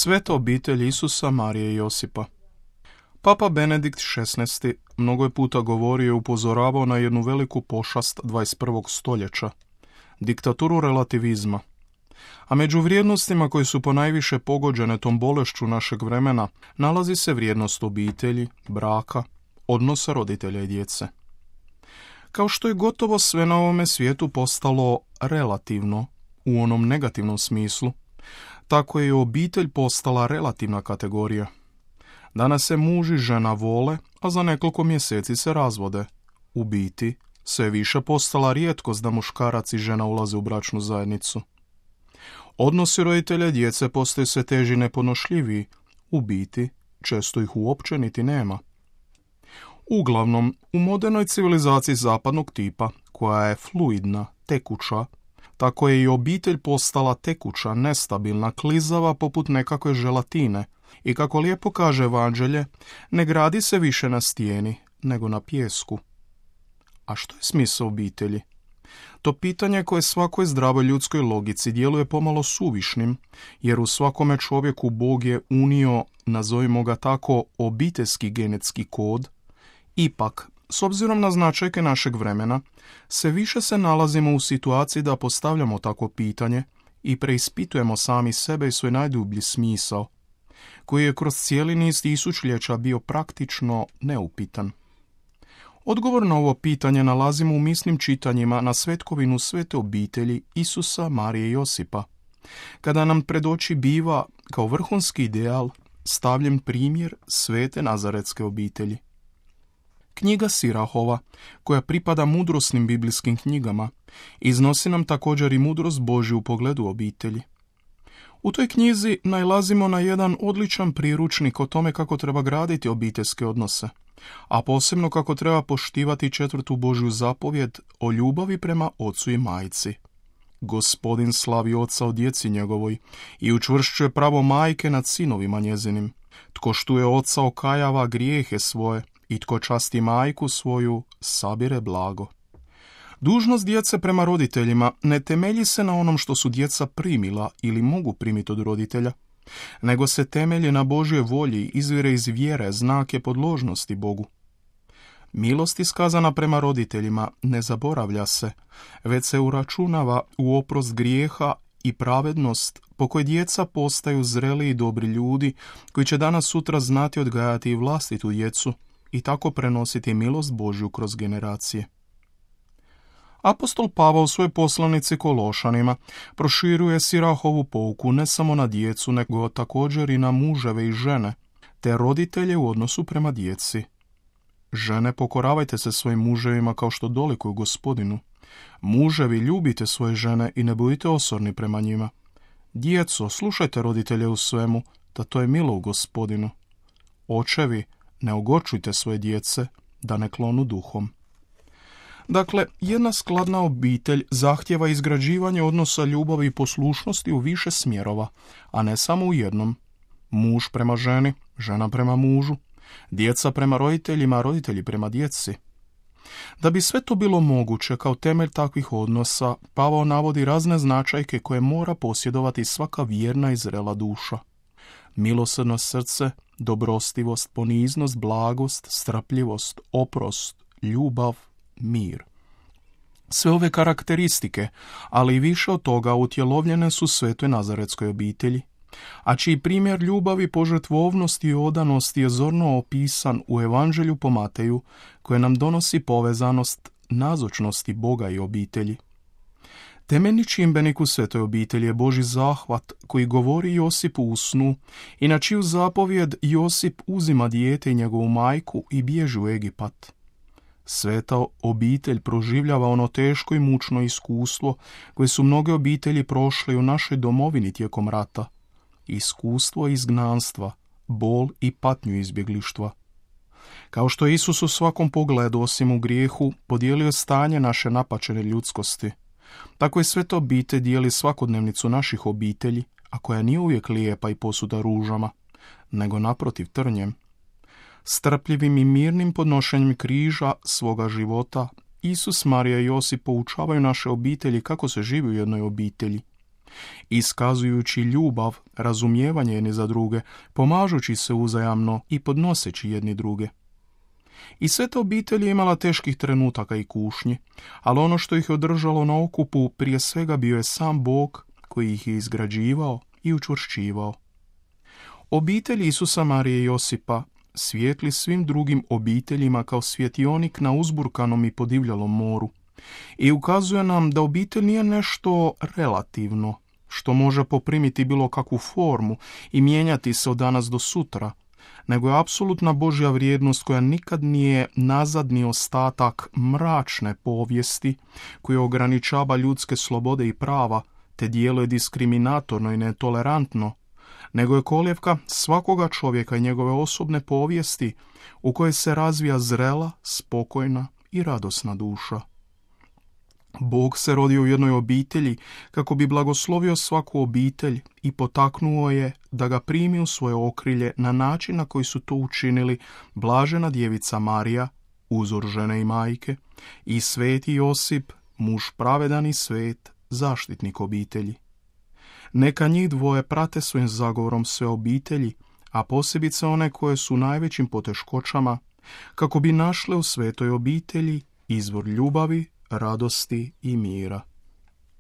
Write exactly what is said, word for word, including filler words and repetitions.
Sveta obitelj Isusa, Marije i Josipa. Papa Benedikt šesnaesti mnogo je puta govorio i upozoravao na jednu veliku pošast dvadeset prvog stoljeća, diktaturu relativizma. A među vrijednostima koje su ponajviše pogođene tom bolešću našeg vremena nalazi se vrijednost obitelji, braka, odnosa roditelja i djece. Kao što je gotovo sve na ovome svijetu postalo relativno, u onom negativnom smislu, tako je i obitelj postala relativna kategorija. Danas se muž i žena vole, a za nekoliko mjeseci se razvode. U biti, sve je više postala rijetkost da muškarac i žena ulaze u bračnu zajednicu. Odnosi roditelja i djece postaju sve teži i nepodnošljiviji. U biti, često ih uopće niti nema. Uglavnom, u modernoj civilizaciji zapadnog tipa, koja je fluidna, tekuća, tako je i obitelj postala tekuća, nestabilna, klizava poput nekakve želatine i, kako lijepo kaže Evanđelje, ne gradi se više na stijeni, nego na pijesku. A što je smisao obitelji? To pitanje koje svakoj zdravoj ljudskoj logici djeluje pomalo suvišnim, jer u svakome čovjeku Bog je unio, nazovimo ga tako, obiteljski genetski kod. Ipak, s obzirom na značajke našeg vremena, sve više se nalazimo u situaciji da postavljamo takvo pitanje i preispitujemo sami sebe i svoj najdublji smisao, koji je kroz cijeli niz tisućljeća bio praktično neupitan. Odgovor na ovo pitanje nalazimo u misnim čitanjima na svetkovinu svete obitelji Isusa, Marije i Josipa, kada nam pred oči biva, kao vrhunski ideal, stavljen primjer svete nazaretske obitelji. Knjiga Sirahova, koja pripada mudrosnim biblijskim knjigama, iznosi nam također i mudrost Božju u pogledu obitelji. U toj knjizi nailazimo na jedan odličan priručnik o tome kako treba graditi obiteljske odnose, a posebno kako treba poštivati četvrtu Božju zapovjed o ljubavi prema ocu i majci. Gospodin slavi oca o djeci njegovoj i učvršćuje pravo majke nad sinovima njezinim. Tko štuje oca okajava grijehe svoje, i tko časti majku svoju, sabire blago. Dužnost djece prema roditeljima ne temelji se na onom što su djeca primila ili mogu primiti od roditelja, nego se temelji na Božjoj volji, izvire iz vjere, znake podložnosti Bogu. Milost iskazana prema roditeljima ne zaboravlja se, već se uračunava u oprost grijeha i pravednost po kojoj djeca postaju zreli i dobri ljudi koji će danas sutra znati odgajati i vlastitu djecu i tako prenositi milost Božju kroz generacije. Apostol Pavao u svojoj poslanici Kološanima proširuje Sirahovu pouku ne samo na djecu, nego također i na muževe i žene, te roditelje u odnosu prema djeci. Žene, pokoravajte se svojim muževima kao što dolikuju Gospodinu. Muževi, ljubite svoje žene i ne budite osorni prema njima. Djeco, slušajte roditelje u svemu, da to je milo u Gospodinu. Očevi, ne ogorčujte svoje djece, da ne klonu duhom. Dakle, jedna skladna obitelj zahtjeva izgrađivanje odnosa ljubavi i poslušnosti u više smjerova, a ne samo u jednom. Muž prema ženi, žena prema mužu, djeca prema roditeljima, roditelji prema djeci. Da bi sve to bilo moguće, kao temelj takvih odnosa, Pavao navodi razne značajke koje mora posjedovati svaka vjerna i zrela duša. Milosrdno srce, dobrostivost, poniznost, blagost, strpljivost, oprost, ljubav, mir. Sve ove karakteristike, ali i više od toga, utjelovljene su svetoj nazaretskoj obitelji, a čiji primjer ljubavi, požrtvovnosti i odanosti je zorno opisan u Evanđelju po Mateju, koje nam donosi povezanost nazočnosti Boga i obitelji. Temeljni čimbenik u svetoj obitelji je Božji zahvat koji govori Josipu u snu i na čiju zapovjed Josip uzima dijete i njegovu majku i bježi u Egipat. Sveta obitelj proživljava ono teško i mučno iskustvo koje su mnoge obitelji prošle u našoj domovini tijekom rata. Iskustvo izgnanstva, bol i patnju izbjeglištva. Kao što je Isus u svakom pogledu, osim u grijehu, podijelio stanje naše napačene ljudskosti, tako je sveta obitelj dijeli svakodnevnicu naših obitelji, a koja nije uvijek lijepa i posuda ružama, nego naprotiv trnjem. Strpljivim i mirnim podnošenjem križa svoga života, Isus, Marija i Josip poučavaju naše obitelji kako se živi u jednoj obitelji. iskazujući ljubav, razumijevanje jedni za druge, pomažući se uzajamno i podnoseći jedni druge. I sve ta obitelj je imala teških trenutaka i kušnji, ali ono što ih je održalo na okupu prije svega bio je sam Bog koji ih je izgrađivao i učvršćivao. Obitelj Isusa, Marije i Josipa svijetli svim drugim obiteljima kao svjetionik na uzburkanom i podivljalom moru i ukazuje nam da obitelj nije nešto relativno, što može poprimiti bilo kakvu formu i mijenjati se od danas do sutra, nego je apsolutna Božja vrijednost koja nikad nije nazadni ostatak mračne povijesti koja ograničava ljudske slobode i prava te djeluje diskriminatorno i netolerantno, nego je kolijevka svakoga čovjeka i njegove osobne povijesti u kojoj se razvija zrela, spokojna i radosna duša. Bog se rodio u jednoj obitelji kako bi blagoslovio svaku obitelj i potaknuo je da ga primi u svoje okrilje na način na koji su to učinili blažena djevica Marija, uzor žene i majke, i sveti Josip, muž pravedan i svet, zaštitnik obitelji. Neka njih dvoje prate svojim zagovorom sve obitelji, a posebice one koje su u najvećim poteškoćama, kako bi našle u svetoj obitelji izvor ljubavi, radosti i mira.